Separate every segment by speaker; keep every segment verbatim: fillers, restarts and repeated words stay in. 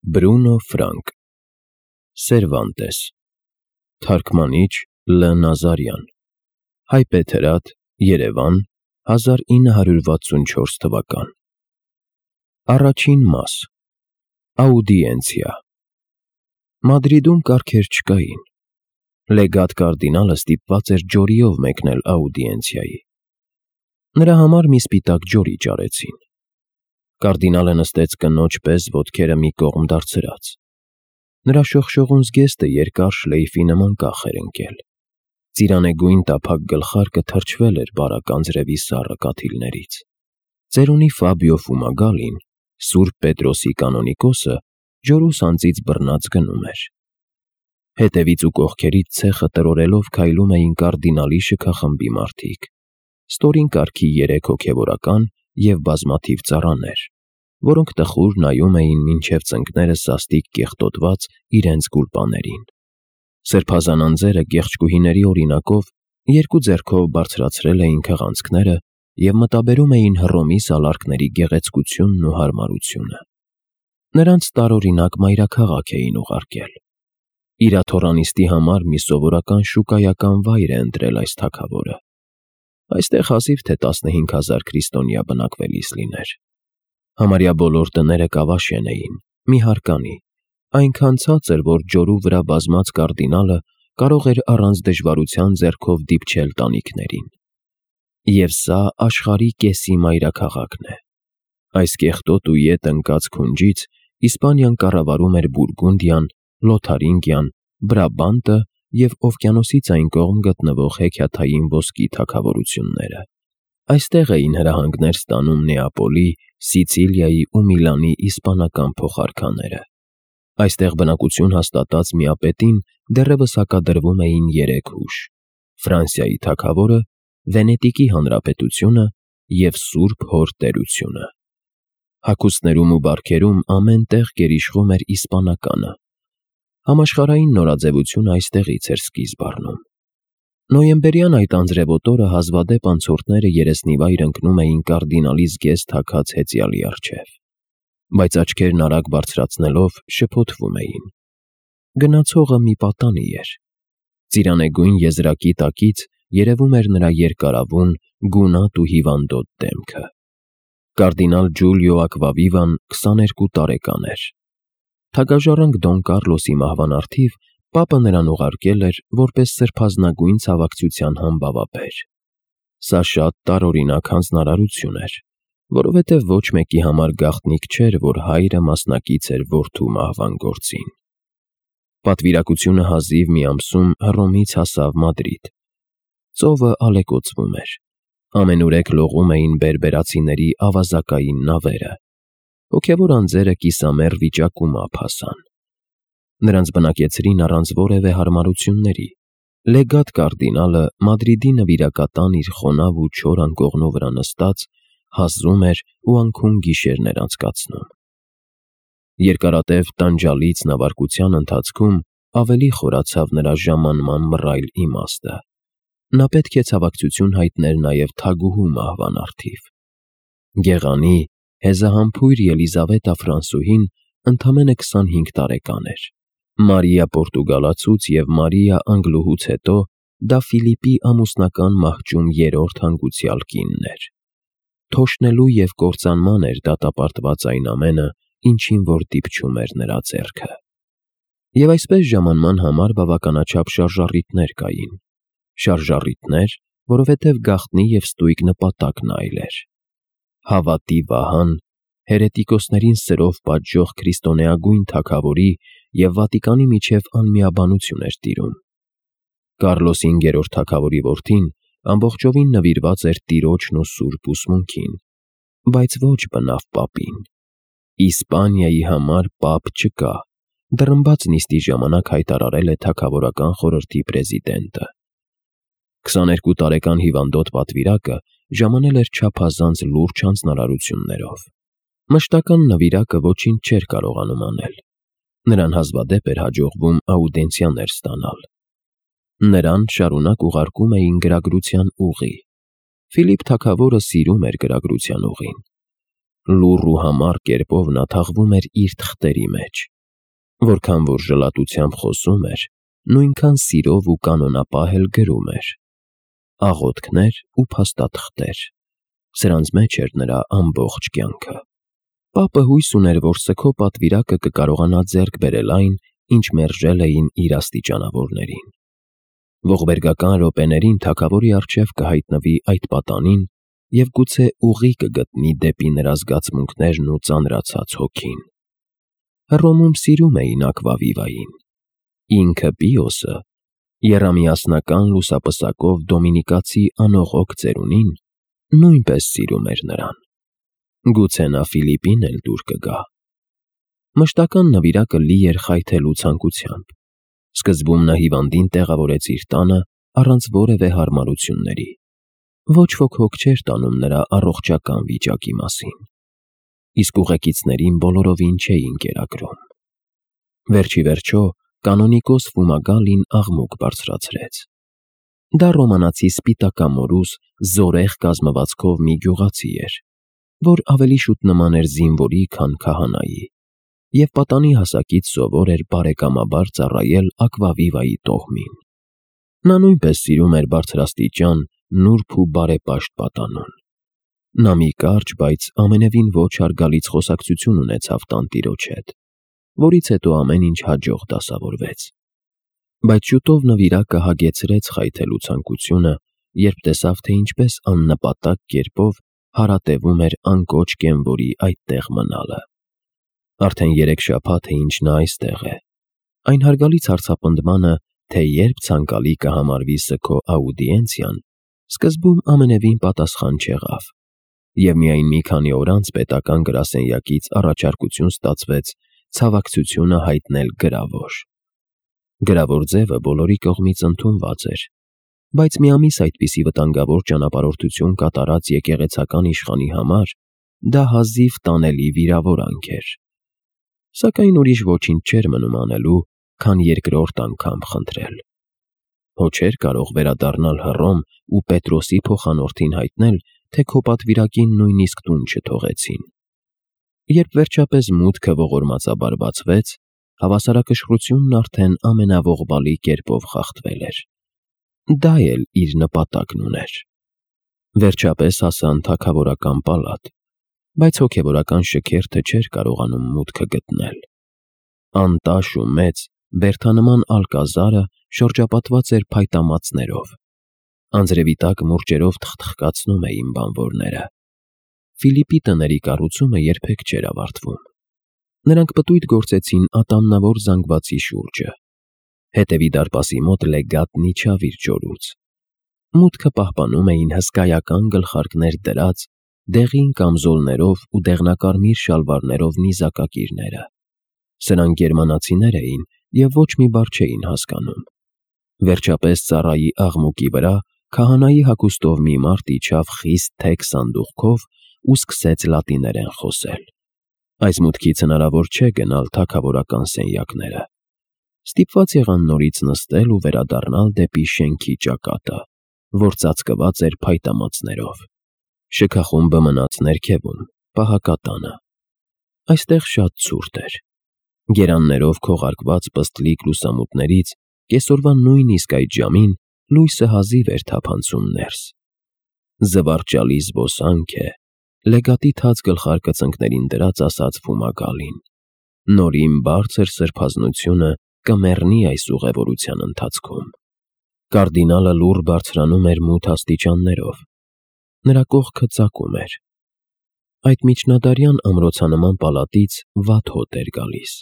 Speaker 1: Բրունո Ֆրանկ Սերվանտես Թարգմանիչ Լ Նազարյան Հայբեթերաթ Երևան հազար ինը հարյուր վաթսունչորս թվական Առաջին մաս Աուդիենցիա Մադրիդում կարգեր չկային։ Լեգատ կարդինալը ստիպված էր ջորիով մեկնել աուդիենցիայի։ Նրա համար մի սպիտակ ջորի ճարեցին։ Կարդինալը նստեց կնոջ պես ոտքերը մի կողմ դարձրած։ Նրա շողշողուն զգեստը երկար շլեյֆի նման կախ էր ընկել։ Ծիրանեգույն տափակ գլխարկը թրջվել էր բարակ անձրևի սառը կաթիլներից։ Ծերունի Ֆաբիո Ֆումագալին, Սուրբ Պետրոսի կանոնիկոսը, ջորու սանձից բռնած գնում էր։ Հետևից ու կողքերից ցեխը տրորելով քայլում էին կարդինալի շքախմբի մարդիկ, ստորին կարգի երեք հոգևորական և բազմաթիվ ծառաներ, որոնք տխուր նայում էին մինչև ծնկները սաստիկ կեղտոտված իրենց գուլպաներին։ Սրբազան անձերը կեղճկուհիների օրինակով երկու ձեռքով բարձրացրել էին քղանցքները և մտաբերում էին Հռոմի սալարկների գեղեցկությունն ու հարմարությունը։ Նրանց տարօրինակ մայրաքաղաք էին ուղարկել։ Իրաթոռանիստի համար մի սովորական շուկայական վայր է ընտրել այս թագավորը։ Այստեղ հազիվ թե տասնհինգ հազար քրիստոնյա բնակվելիս լիներ։ Համարյա բոլոր տները կավաշեն էին, մի հարկանի, այնքան ցածր, որ ջորու վրա բազմած կարդինալը կարող էր առանց դժվարության ձեռքով դիպչել տանիքներին։ Եվ սա աշխարհի կեսի մայրաքաղաքն է։ Այս կեղտոտ ու ետ ընկած քունջից Իսպանիան կառավարում էր Բուրգունդիան, Լոթարինգիան, Բրաբանտը և օվկիանոսից այն կողմ գտնվող հեքիաթային ոսկի թագավորությունները։ Այստեղ էին հրահանգներ ստանում Նեապոլի, Սիցիլիայի ու Միլանի իսպանական փոխարքաները։ Այստեղ բնակություն հաստատած միապետին դեռևս հակադրվում էին երեք հուշ՝ Ֆրանսիայի թագավորը, Վենետիկի հանրապետությունը և Սուրբ Հոր տերությունը։ Հագուստներում ու բարքերում ամեն տեղ գերիշխում էր իսպանականը։ Համաշխարհային նորաձևությունը այստեղից էր սկիզբ առնում։ Նոյեմբերյան այդ անձրևոտ օրը հազվադեպ անցորդները երեսնիվայր ընկնում էին կարդինալի զգեստ թաքած հեծյալի առջև, բայց աչքերն արագ բարձրացնելով շփոթվում էին։ Գնացողը մի պատանի էր։ Ծիրանեգույն եզրակի տակից երևում էր նրա երկարավուն, գունատ ու հիվանդոտ դեմքը։ Կարդինալ Ջուլիո Ակվավիվան քսաներկու տարեկան էր։ Թագաժառանգ Դոն Կառլոսի մահվան առթիվ պապը նրան ուղարկել էր որպես սրբազնագույն ցավակցության համբավաբեր։ Սա շատ տարօրինակ հանձնարարություն էր, որովհետև ոչ մեկի համար գաղտնիք չէր, որ հայրը մասնակից էր որդու մահվան գործին։ Պատվիրակությունը հազիվ մի ամսում Հռոմից հասավ Մադրիդ։ Ծովը ալեկոծվում էր։ Ամենուրեք լողում էին բերբերացիների ավազակային նավերը։ Հոգևոր անձերը կիսամեռ վիճակում ափ հասան։ Նրանց բնակեցրին առանց որևէ հարմարությունների։ Լեգատ կարդինալը Մադրիդի նվիրակատան իր խոնավ ու չոր անկողնու վրա նստած հազում էր ու անքուն գիշերներ անցկացնում։ Երկարատև տանջալից նավարկության ընթացքում ավելի խորացավ նրա ժամանման մռայլ իմաստը։ Նա պետք է ցավակցություն հայտներ նաև թագուհու մահվան առթիվ։ Գեղանի, հեզահամբույր Ելիզավետա Ֆրանսուհին ընդամենը քսանհինգ տարեկան էր։ Մարիա Պորտուգալացուց և Մարիա Անգլուհուց հետո դա Ֆիլիպի ամուսնական մահճում երրորդ հանգուցյալ կինն էր։ Թոշնելու և կործանման էր դատապարտված այն ամենը, ինչին որ դիպչում էր նրա ձեռքը։ Եվ այսպես ժամանման համար բավականաչափ շարժառիթներ կային։ Շարժառիթներ, որովհետև գաղտնի և ստույգ նպատակն այլ էր։ Հավատի վահան, հերետիկոսներին սրով պատժող քրիստոնեագույն թագավորի և Վատիկանի միջև անմիաբանություն էր տիրում։ Կառլոս հինգերորդ թագավորի որդին ամբողջովին նվիրված էր տիրոջն ու սուրբ ուսմունքին, բայց ոչ բնավ պապին։ Իսպանիայի համար պապ չկա, դռնբաց նիստի ժամանակ հայտարարել է թագավորական խորհրդի պրեզիդենտը։ Քսաներկու տարեկան հիվանդոտ պատվիրակը ժամանել էր չափազանց լուրջ հանձնարարություններով։ Մշտական նվիրակը ոչինչ չէր կարողանում անել։ Նրան հազվադեպ էր հաջողվում աուդիենցիաներ ստանալ։ Նրան շարունակ ուղարկում էին գրագրության ուղի։ Ֆիլիպ թագավորը սիրում էր գրագրության ուղին։ լուռ ու համառ կերպով նա թաղվում էր իր թղթերի մեջ։ Որքան որ ժլատությամբ խոսում էր, նույնքան սիրով ու կանոնապահ էլ գրում էր։ Աղոթքներ ու փաստաթղթեր։ Սրանց մեջ էր նրա ամբողջ կյանքը։ Պապը հույս ուներ, որ սգո պատվիրակը կկարողանա ձեռք բերել այն, ինչ մերժել էին իր աստիճանավորներին։ Ողբերգական րոպեներին թագավորի առջև կհայտնվի այդ պատանին և գուցե ուղի կգտնի դեպի նրա զգացմունքներն ու ծանրացած հոգին։ Հռոմում սիրում էին ակվավիվային։ Ինքը Պիոսը, եռամիասնական լուսապսակով դոմինիկացի անողոք ծերունին, նույնպես սիրում էր նրան։ Գուցե նա Ֆիլիպին էլ դուր կգա։ Մշտական նվիրակը լի էր խայթելու ցանկությամբ։ Սկզբում նա հիվանդին տեղավորեց իր տանը առանց որևէ հարմարությունների։ Ոչ ոք հոգ չէր տանում նրա առողջական վիճակի մասին։ Իսկ ուղեկիցներին բոլորովին չէին կերակրում։ Վերջ ի վերջո կանոնիկոս Ֆումագալին աղմուկ բարձրացրեց։ Դա ռոմանացի սպիտակամորուս, զորեղ կազմվածքով մի գյուղացի էր, որ ավելի շուտ նման էր զինվորի, քան քահանայի, և պատանի հասակից սովոր էր բարեկամաբար ծառայել ակվավիվայի տոհմին։ Նա նույնպես սիրում էր բարձրաստիճան, նուրբ ու բարեպաշտ պատանուն։ Նա մի կարճ, բայց ամենևին ոչ հարգալից խոսակցություն ունեցավ տանտիրոջ հետ, որից հետո ամեն ինչ հաջող դասավորվեց։ Բայց շուտով նվիրակը հագեցրեց խայթելու ցանկությունը, երբ տեսավ, թե ինչպես աննպատակ կերպով հարատևում էր անկոչ կենվորի այդտեղ մնալը։ Արդեն երեք շաբաթ է, ինչ նա այստեղ է։ Այն հարգալից հարցապնդմանը, թե երբ ցանկալի կհամարվի սգո աուդիենցիան, սկզբում ամենևին պատասխան չեղավ, և միայն մի քանի օր անց պետական գրասենյակից առաջարկություն ստացվեց ցավակցությունը հայտնել գրավոր։ Գրավոր ձևը բոլորի կողմից ընդունված էր, բայց մի ամիս այդպիսի վտանգավոր ճանապարհորդություն կատարած եկեղեցական իշխանի համար դա հազիվ տանելի վիրավորանք էր։ Սակայն ուրիշ ոչինչ չէր մնում անելու, քան երկրորդ անգամ խնդրել։ Հո չէր կարող վերադառնալ Հռոմ ու Պետրոսի փոխանորդին հայտնել, թե քո պատվիրակին նույնիսկ տուն չթողեցին։ Երբ վերջապես մուտքը ողորմածաբար բացվեց, հավասարակշռությունն արդեն ամենաողբալի կերպով խախտվել էր։ Դա էլ իր նպատակն ուներ։ Վերջապես հասան թագավորական պալատ, բայց հոգևորական շքերթը չէր կարողանում մուտքը գտնել։ Անտաշ ու մեծ, բերդանման ալկազարը շրջապատված էր փայտամածներով։ Անձրևի տակ մուրճերով թխթխկացնում էին բանվորները։ Ֆիլիպի տների կառուցումը երբեք չէր ավարտվում։ Նրանք պտույտ գործեցին ատամնավոր զանգվածի շուրջը։ Հետևի դարպասի մոտ լեգատն իջավ իր ջորուց։ Մուտքը պահպանում էին հսկայական գլխարկներ դրած, դեղին կամզոլներով ու դեղնակարմիր շալվարներով նիզակակիրները։ Սրանք գերմանացիներ էին և ոչ մի բառ չէին հասկանում։ Վերջապես ծառայի աղմուկի վրա քահանայի հագուստով մի մարդ իջավ խիստ թեք սանդուղքով ու սկսեց լատիներեն խոսել։ Այս մուտքից հնարավոր չէ գնալ թագավորական սենյակները։ Ստիպված եղան նորից նստել ու վերադառնալ դեպի շենքի ճակատը, որ ծածկված էր փայտամածներով։ Շքախումբը մնաց ներքևում, պահակատանը։ Այստեղ շատ ցուրտ էր։ Գերաններով քողարկված պստլիկ լուսամուտներից կեսօրվա նույնիսկ այդ ժամին լույսը հազիվ էր թափանցում ներս։ Զվարճալի զբոսանք է, լեգատի թաց գլխարկը ծնկներին դրած ասաց Ֆումագալին։ Նորին բարձր սրբազնությունը կմեռնի այս ուղևորության ընթացքում։ Կարդինալը լուռ բարձրանում էր մութ աստիճաններով։ Նրա կողքը ծակում էր։ Այդ միջնադարյան ամրոցանման պալատից վատ հոտ էր գալիս։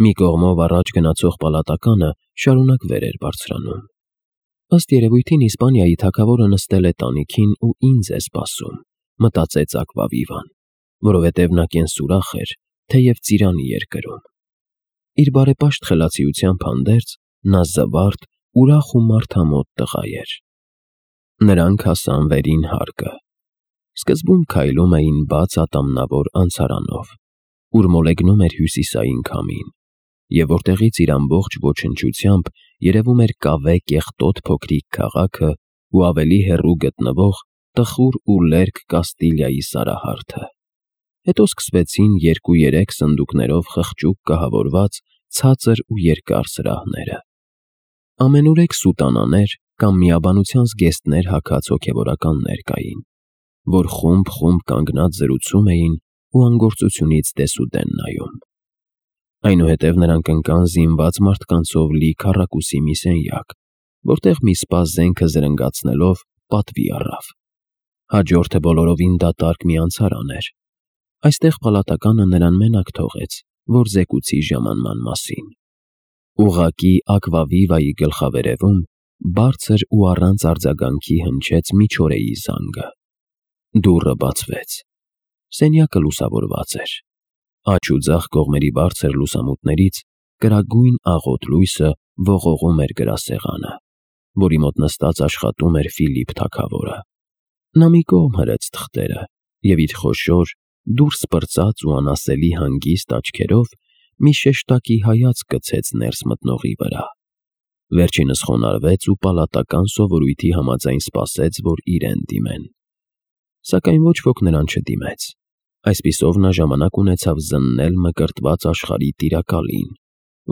Speaker 1: Մի կողմով առաջ գնացող պալատականը շարունակ վեր էր բարձրանում։ Ըստ երևույթին Իսպանիայի թագավորը նստել է տանիքին ու ինձ է սպասում, մտածեց ակվավիվան, որովհետև նա կենսուրախ էր, թեև ծիրանի էր կրում։ Իր բարեպաշտ խելացիությամբ հանդերձ նա զվարթ, ուրախ ու մարդամոտ տղա էր։ Նրանք հասան վերին հարկը։ Սկզբում քայլում էին բաց ատամնավոր անցարանով, ուր մոլեգնում էր հյուսիսային քամին, և որտեղից իր ամբողջ ոչնչությամբ երևում էր կավե կեղտոտ փոքրիկ քաղաքը ու ավելի հեռու գտնվող տխուր ու լերկ Կաստիլիայի սարահարթը։ Հետո սկսվեցին երկու-երեք սնդուկներով խղճուկ կահավորված ցածր ու երկար սրահները։ Ամենուրեք սուտանաներ կամ միաբանության զգեստներ հագած հոգևորականներ կային, որ խումբ-խումբ կանգնած զրուցում էին ու անգործությունից դեսուդեն նայում։ Այնուհետև նրանք ընկան զինված մարդկանցով լի քառակուսի մի սենյակ, որտեղ մի սպա զենքը զրնգացնելով պատվի առավ։ Հաջորդը բոլորովին դատարկ մի անցարան էր։ Այստեղ պալատականը նրան մենակ թողեց, որ զեկուցի ժամանման մասին։ Ուղղակի ակվավիվայի գլխավերևում բարձր ու առանց արձագանքի հնչեց մի չորեի զանգը։ Դուռը բացվեց։ Սենյակը լուսավորված էր։ Աջ ու ձախ կողմերի բարձր լուսամուտներից կրագույն աղոտ լույսը ողողում էր գրասեղանը, որի մոտ նստած աշխատում էր Ֆիլիպ թագավորը։ Նա մի կողմ հրեց թղթերը և իր խոշոր, դուրս պրծած ու անասելի հանգիստ աչքերով մի շեշտակի հայացք գցեց ներս մտնողի վրա։ Վերջինս խոնարհվեց ու պալատական սովորույթի համաձայն սպասեց, որ իրեն դիմեն։ Սակայն ոչ ոք նրան չդիմեց։ Այսպիսով նա ժամանակ ունեցավ զննել մկրտված աշխարհի տիրակալին,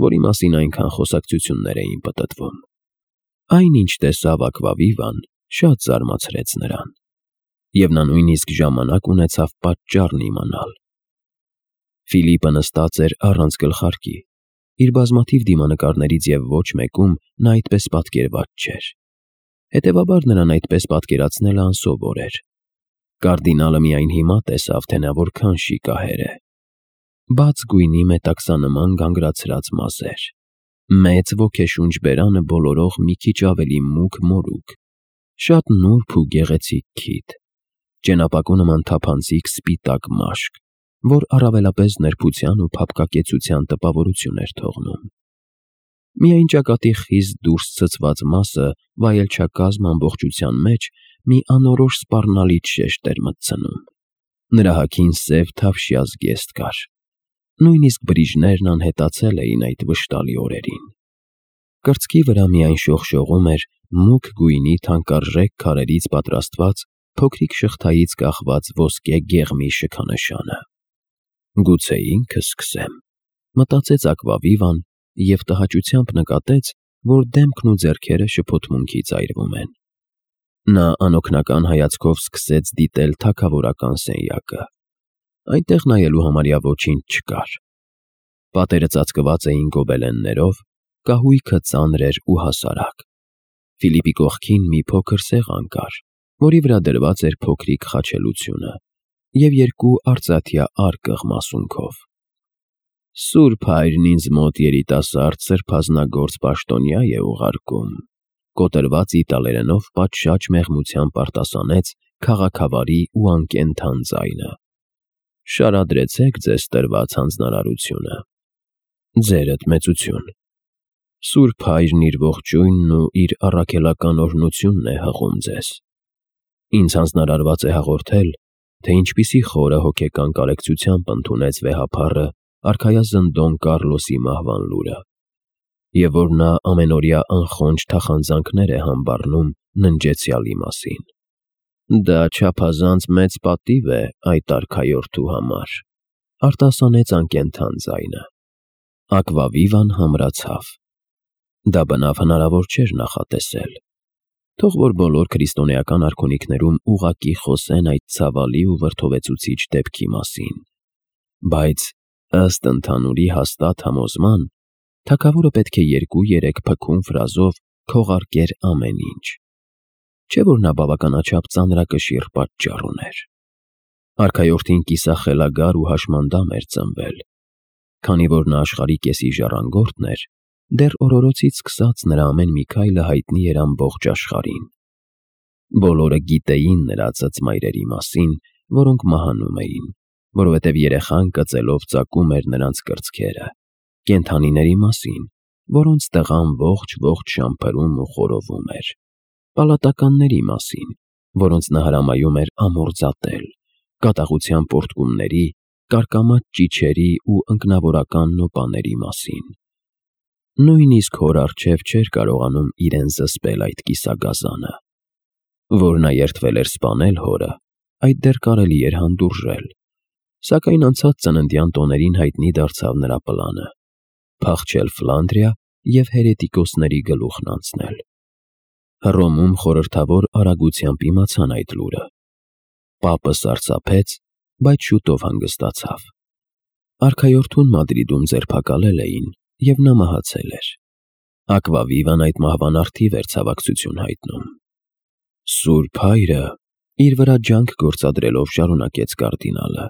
Speaker 1: որի մասին այնքան խոսակցություններ էին պտտվում։ Այն, ինչ տեսավ Ակվավիվան, շատ զարմացրեց նրան, և նա նույնիսկ ժամանակ ունեցավ պատճառն իմանալ։ Ֆիլիպը նստած էր առանց գլխարկի։ Իր բազմաթիվ դիմանկարներից և ոչ մեկում նա այդպես պատկերված չէր։ Հետևաբար նրան այդպես պատկերացնելը անսովոր էր։ Կարդինալը միայն հիմա տեսավ, թե նա որքան շիկահեր է։ Բաց գույնի մետաքսանման գանգրացրած մազեր, մեծ ոգեշունչ բերանը բոլորող մի քիչ ավելի մուգ մորուք, շատ նուրբ ու գեղեցիկ քիթ, ճենապակու նման թափանցիկ սպիտակ մաշկ, որ առավելապես նրբության ու փափկակեցության տպավորություն էր թողնում։ Միայն ճակատի խիստ դուրս ցցված մասը վայելչակազմ ամբողջության մեջ մի անորոշ սպառնալից շեշտ էր մտցնում։ Նրա հագին սև թավշյա զգեստ կար։ Նույնիսկ բրիժներն անհետացել էին այդ վշտալի օրերին։ Կրծքի վրա միայն շողշողում էր մուգ գույնի թանկարժեք քարերից պատրաստված փոքրիկ շղթայից կախված ոսկե գեղմի շքանշանը։ Գուցե ինքը սկսեմ, մտածեց Ակվավիվան և տհաճությամբ նկատեց, որ դեմքն ու ձեռքերը շփոթմունքից այրվում են։ Նա անօգնական հայացքով սկսեց դիտել թագավորական սենյակը։ Այնտեղ նայելու համարյա ոչինչ չկար։ Պատերը ծածկված էին գոբելեններով, կահույքը ծանր էր ու հասարակ։ Ֆիլիպի կողքին մի փոքր սեղան կար, որի վրա դրված էր փոքրիկ խաչելությունը և երկու արծաթյա արկղ մասունքով։ «Սուրբ Հայրն ինձ մոտ երիտասարդ սրբազնագործ պաշտոնյա է ուղարկում», կոտրված իտալերենով պատշաճ մեղմությամբ արտասանեց քաղաքավարի ու անկենդան ձայնը։ «Շարադրեցեք ձեզ տրված հանձնարարությունը»։ «Ձերդ մեծություն»։ «Սուրբ Հայրն իր ողջույնն ու իր առաքելական օրհնությունն է հղում ձեզ։ Ինձ հանձնարարված է հաղորդել, թե ինչպիսի խորը հոգեկան կարեկցությամբ ընդունեց վեհափառը արքայազն Դոն Կառլոսի մահվան լուրը, և որ նա ամենօրյա անխոնջ թախանձանքներ է համբառնում ննջեցյալի մասին։ Դա չափազանց մեծ պատիվ է այդ արքայորդու համար», արտասանեց անկենդան ձայնը։ Ակվավիվան համրացավ։ Դա բնավ հնարավոր չէր նախատեսել։ Թող որ բոլոր քրիստոնեական արքունիքներում ուղղակի խոսեն այդ ցավալի ու վրդովեցուցիչ դեպքի մասին։ Բայց, ըստ ընդհանուրի հաստատ համոզման, թագավորը պետք է երկու-երեք փքուն ֆրազով քողարկեր ամեն ինչ։ Չէ՞ որ նա բավականաչափ ծանրակշիռ պատճառ ուներ։ Արքայորդին կիսախելագար ու հաշմանդամ էր ծնվել։ Քանի որ նա աշխարհի կեսի ժառանգորդն էր, դեռ օրորոցից սկսած նրա ամեն մի քայլը հայտնի էր ամբողջ աշխարհին։ Բոլորը գիտեին նրա ծծմայրերի մասին, որոնք մահանում էին, որովհետև երեխան կծելով ծակում էր նրանց կրծքերը, կենդանիների մասին, որոնց տղան ողջ-ողջ շամփրում ու խորովում էր, պալատականների մասին, որոնց նա հրամայում էր ամորձատել, կատաղության պոռթկումների, կարկամած ճիչերի ու ընկնավորական նոպաների մասին։ Նույնիսկ հոր առջև չէր կարողանում իրեն զսպել այդ կիսագազանը։ Որ նա երդվել էր սպանել հորը, այդ դեռ կարելի էր հանդուրժել, Սակայն անցած ծննդյան տոներին հայտնի դարձավ նրա պլանը՝ փախչել Ֆլանդրիա և հերետիկոսների գլուխն անցնել։ Հռոմում խորհրդավոր արագությամբ իմացան այդ լուրը։ Պապը սարսափեց, բայց շուտով հանգստացավ։ Արքայորդուն Մադրիդում ձերբակալել էին, և նա մահացել էր։ Ակվավիվան այդ մահվան առթիվ էր ցավակցություն հայտնում։ Սուրբ Հայրը իր վրա ջանք գործադրելով շարունակեց կարդինալը,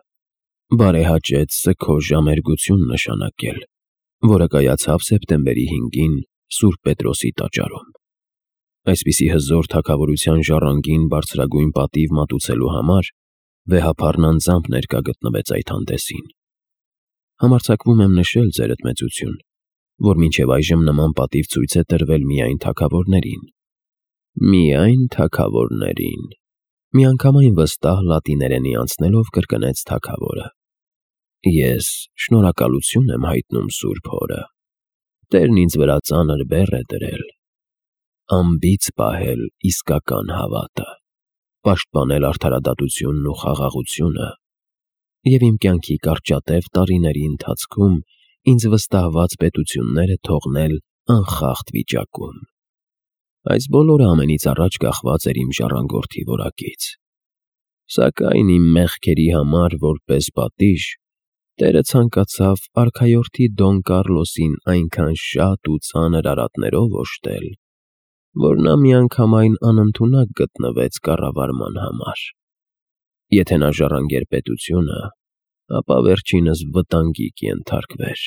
Speaker 1: բարեհաճեց սգո ժամերգություն նշանակել, որը կայացավ սեպտեմբերի հինգին Սուրբ Պետրոսի տաճարում։ Այսպիսի հզոր թագավորության ժառանգին բարձրագույն պատիվ մատուցելու համար վեհափառն անձամբ ներկա գտնվեց այդ հանդեսին։ Համարձակվում եմ նշել, ձերդ մեծություն, որ մինչև այժմ նման պատիվ ցույց է տրվել միայն թագավորներին։ Միայն թագավորներին, միանգամայն վստահ լատիներենի անցնելով կրկնեց թագավորը։ Ես շնորհակալություն եմ հայտնում Սուրբ Հորը։ Տերն ինձ վրա ծանր բեռ է դրել։ Անբիծ պահել իսկական հավատը, պաշտպանել արդարադատությունն ու խաղաղությունը և իմ կյանքի կարճատև տարիների ընթացքում ինձ վստահված պետությունները թողնել անխախտ վիճակում։ Այս բոլորը ամենից առաջ կախված էր իմ ժառանգորդի որակից։ Սակայն իմ մեղքերի համար որպես պատիժ Տերը ցանկացավ արքայորդի Դոն Կառլոսին այնքան շատ ու ծանր արատներով օժտել, որ նա միանգամայն անընդունակ գտնվեց կառավարման համար։ Եթե նա ժառանգեր պետությունը, ապա վերջինս վտանգի կենթարկվեր։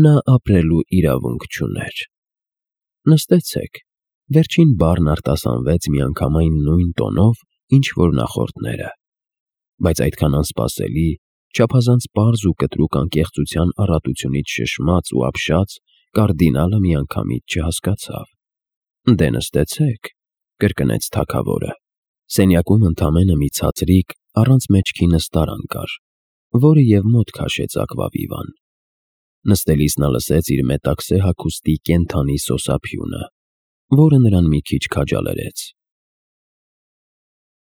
Speaker 1: Նա ապրելու իրավունք չուներ։ Նստեցեք, վերջին բառն արտասանվեց միանգամայն նույն տոնով, ինչ որ նախորդները, բայց այդքան անսպասելի, չափազանց պարզ ու կտրուկ անկեղծության առատությունից շշմած ու ապշած, կարդինալը միանգամից չհասկացավ։ Դե նստեցեք, կրկնեց թագավորը։ Սենյակում ընդամենը մի ցածրիկ, առանց մեջքի նստարան կար, որը և մոտ քաշեց Ակվավիվան։ Նստելիս նա լսեց իր մետաքսե հագուստի կենդանի սոսափյունը, որը նրան մի քիչ քաջալերեց։